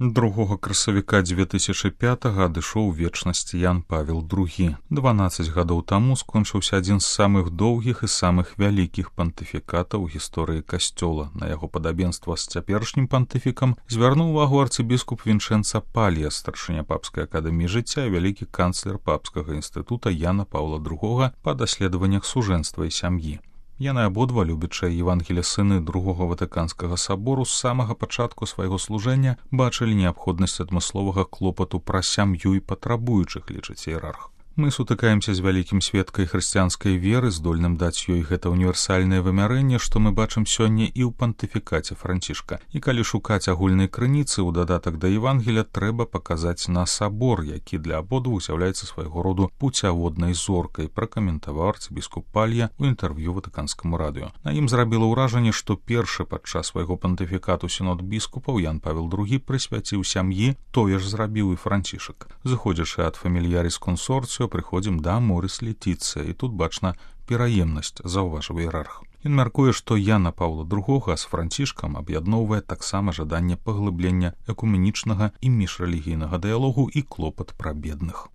2 красавіка 2005 адышоў у вечнасць Ян Павел II. 12 гадоў таму скончыўся адзін з самых доўгіх і самых вялікіх пантыфікатаў у гісторыі касцёла. На яго падабенства з цяперашнім пантыфікам звярнуў увагу арцыбіскуп Вінчэнца Палья, старшыня папскай акадэміі жыцця і вялікі канцлер папскага інстытута Яна Паўла II па даследаваннях сужэнства і сям'і. Яны абодва, любячыя Евангелія сыны Другога Ватыканскага сабору, з самага пачатку свайго служэння бачылі неабходнасць адмысловага клопату пра сям'ю і патрабуючых, лічыць іерарх. Мы сутыкаемся з вялікім сведкай хрысціянскай веры, здольным даць ёй гэта універсальнае вымярэнне, што мы бачым сёння і ў пантыфікаце Францішка. І калі шукаць агульнай крыніцы ў дадатак да Евангелія, трэба паказаць на сабор, які для абодвух з'яўляецца свайго роду пуцяводнай зоркай, пракаментаваў арцыбіскуп Палья ў інтэрв'ю Ватыканскаму радыё. На ім зрабіла ўражанне, што першы падчас свайго пантыфікату сінод біскупаў Ян Павел II прысвяціў сям'і, тое ж зрабіў і Францішак. Зыходзячы ад фамільяріс кансорцыю, прыходзім да Морис Летіцыя, і тут бачна пераемнасць, заўважыў іерарх. Ён мяркуе, што Яна Паўла II з Францішкам аб'ядноўвае таксама жаданне паглыблення экуменічнага і міжрэлігійнага дыялогу і клопат пра бедных.